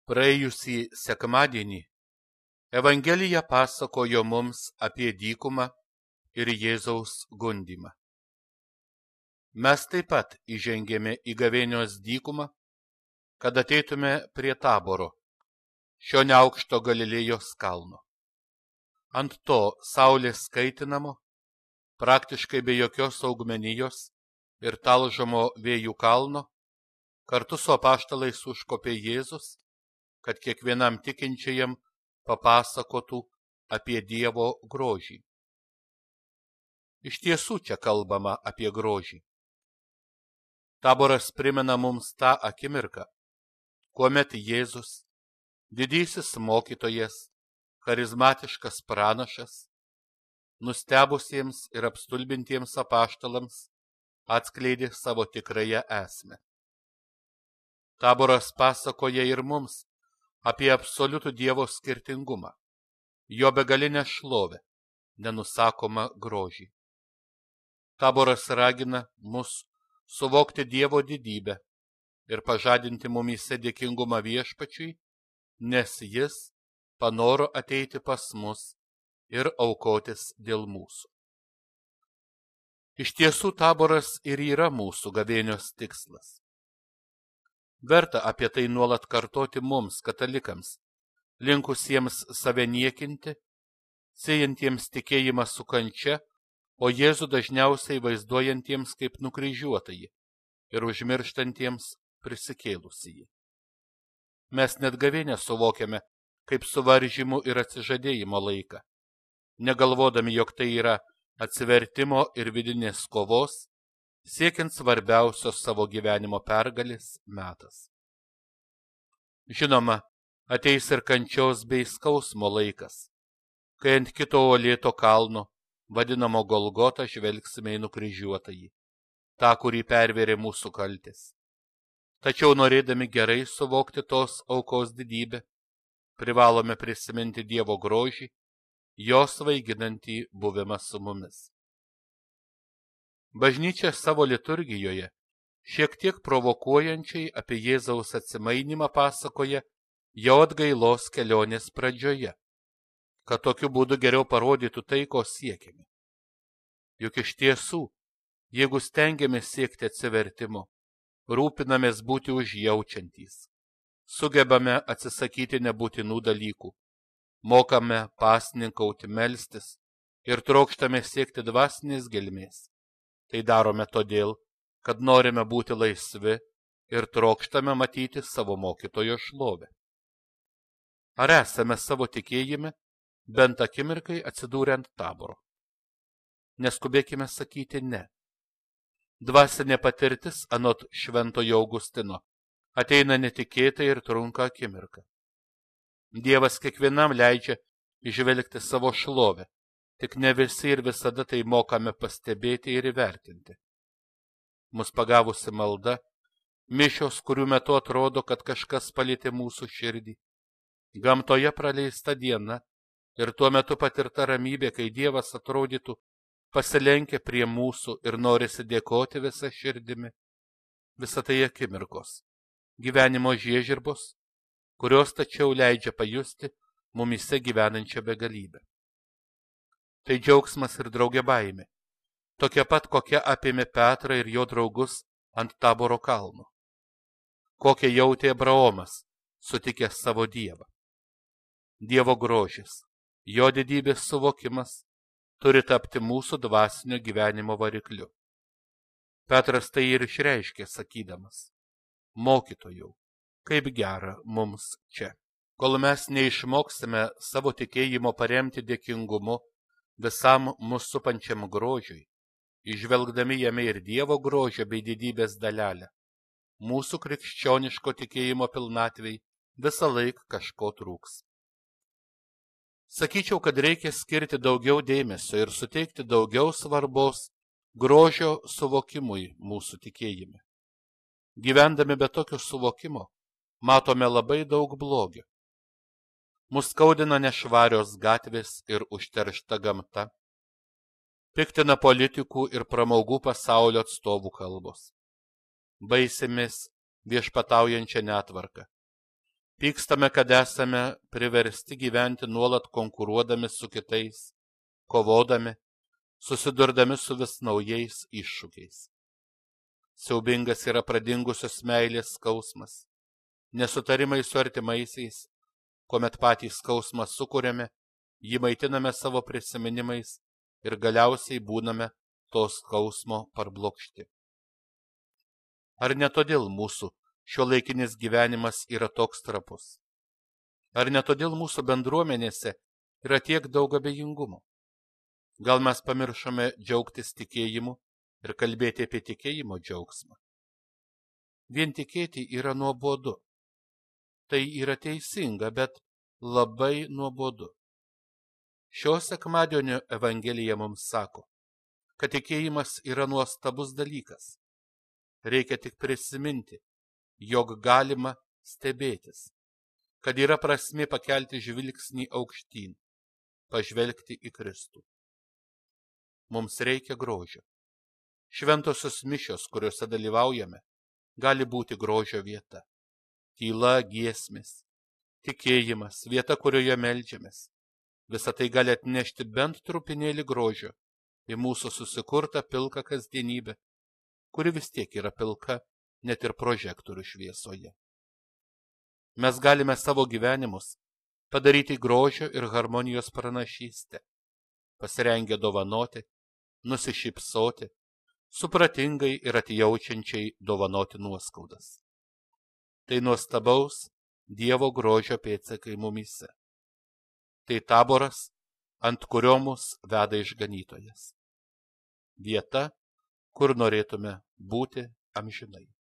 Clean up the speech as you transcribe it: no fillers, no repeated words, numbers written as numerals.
Praėjusį sekmadienį Evangelija pasakojo mums apie dykumą ir Jėzaus gundymą. Mes taip pat įžengėme į gavėnios dykumą, kad ateitume prie Taboro, šio neaukšto Galilėjos kalno. Ant to saulės kaitinamo, praktiškai be jokios augmenijos ir talžomo vėjų kalno, kartu su apaštalais užkopė Jėzus, kad kiekvienam tikinčiajam papasakotų apie Dievo grožį. Iš tiesų čia kalbama apie grožį. Taboras primena mums tą akimirką, kuomet Jėzus, didysis mokytojas, charizmatiškas pranašas, nustebusiems ir apstulbintiems apaštalams atskleidė savo tikrąją esmę. Taboras pasakoja ir mums apie absoliutų Dievo skirtingumą, jo begalinę šlovę, nenusakomą grožį. Taboras ragina mus suvokti Dievo didybę ir pažadinti mumyse dėkingumą Viešpačiui, nes jis panoro ateiti pas mus ir aukotis dėl mūsų. Iš tiesų Taboras ir yra mūsų gavėnios tikslas. Verta apie tai nuolat kartoti mums, katalikams, linkusiems save niekinti, siejantiems tikėjimą su kančia, o Jėzų dažniausiai vaizduojantiems kaip nukryžiuotąjį ir užmirštantiems prisikėlusįjį. Mes net gavėnę suvokiame kaip suvaržymų ir atsižadėjimo laiką, negalvodami, jog tai yra atsivertimo ir vidinės kovos, siekiant svarbiausios savo gyvenimo pergalės metas. Žinoma, ateis ir kančios bei skausmo laikas, kai ant kito uolėto kalno, vadinamo Golgota, žvelgsime į nukryžiuotąjį, tą, kurį pervėrė mūsų kaltės. Tačiau norėdami gerai suvokti tos aukos didybę, privalome prisiminti Dievo grožį, jo svaiginantį buvimą su mumis. Bažnyčia savo liturgijoje šiek tiek provokuojančiai apie Jėzaus atsimainimą pasakoja jo atgailos kelionės pradžioje, kad tokiu būdu geriau parodytų tai, ko siekiame. Juk iš tiesų, jeigu stengiamės siekti atsivertimo, rūpinamės būti užjaučiantys, sugebame atsisakyti nebūtinų dalykų, mokame pasninkauti, melstis ir trokštame siekti dvasinės gelmės. Tai darome todėl, kad norime būti laisvi ir trokštame matyti savo mokytojo šlovę. Ar esame savo tikėjime bent akimirkai atsidūrę ant Taboro? Neskubėkime sakyti ne. Dvasinė patirtis, anot šventojo Augustino, ateina netikėtai ir trunka akimirką. Dievas kiekvienam leidžia įžvelgti savo šlovę, tik ne visi ir visada tai mokame pastebėti ir įvertinti. Mus pagavusi malda, mišios, kurių metu atrodo, kad kažkas palietė mūsų širdį, gamtoje praleista diena ir tuo metu patirta ramybė, kai Dievas atrodytų pasilenkia prie mūsų ir norisi dėkoti visą širdimi. Visa tai akimirkos, gyvenimo žiežirbos, kurios tačiau leidžia pajusti mumyse gyvenančią begalybę. Tai džiaugsmas ir drauge baimė, tokia pat, kokia apėmė Petrą ir jo draugus ant Taboro kalno. Kokią jautė Abraomas, sutikęs savo Dievą. Dievo grožis, jo didybės suvokimas turi tapti mūsų dvasinio gyvenimo varikliu. Petras tai ir išreiškė sakydamas: Mokytojau, kaip gera mums čia. Kol mes neišmoksime savo tikėjimo paremti dėkingumu visam mus supančiam grožiui, įžvelgdami jame ir Dievo grožio bei didybės dalelę, mūsų krikščioniško tikėjimo pilnatvei visą laiką kažko trūks. Sakyčiau, kad reikia skirti daugiau dėmesio ir suteikti daugiau svarbos grožio suvokimui mūsų tikėjime. Gyvendami be tokio suvokimo, matome labai daug blogio. Mus skaudina nešvarios gatvės ir užteršta gamta. Piktina politikų ir pramogų pasaulio atstovų kalbos. Baisimės viešpataujančią netvarką. Pykstame, kad esame priversti gyventi nuolat konkuruodami su kitais, kovodami, susidurdami su vis naujais iššūkiais. Siaubingas yra pradingusios meilės skausmas, nesutarimai su artimaisiais, kuomet patys skausmą sukuriame, jį maitiname savo prisiminimais ir galiausiai būname to skausmo parblokšti. Ar ne todėl mūsų šiuolaikinis gyvenimas yra toks trapus? Ar ne todėl mūsų bendruomenėse yra tiek daug abejingumo? Gal mes pamiršome džiaugtis tikėjimu ir kalbėti apie tikėjimo džiaugsmą? Vien tikėti yra nuobodu. Tai yra teisinga, bet labai nuobodu. Šio sekmadienio Evangelija mums sako, kad tikėjimas yra nuostabus dalykas. Reikia tik prisiminti, jog galima stebėtis, kad yra prasmė pakelti žvilgsnį aukštyn, pažvelgti į Kristų. Mums reikia grožio. Šventosios mišios, kuriuose dalyvaujame, gali būti grožio vieta. Tyla, giesmės, tikėjimas, vieta, kurioje meldžiamės. Visa tai gali atnešti bent trupinėlį grožio į mūsų susikurtą pilką kasdienybę, kuri vis tiek yra pilka net ir prožektorių šviesoje. Mes galime savo gyvenimus padaryti grožio ir harmonijos pranašystę, pasirengę dovanoti, nusišypsoti, supratingai ir atjaučiančiai dovanoti nuoskaudas. Tai nuostabaus Dievo grožio pėdsakai mumyse. Tai taboras, ant kurio mus veda išganytojas. Vieta, kur norėtume būti amžinai.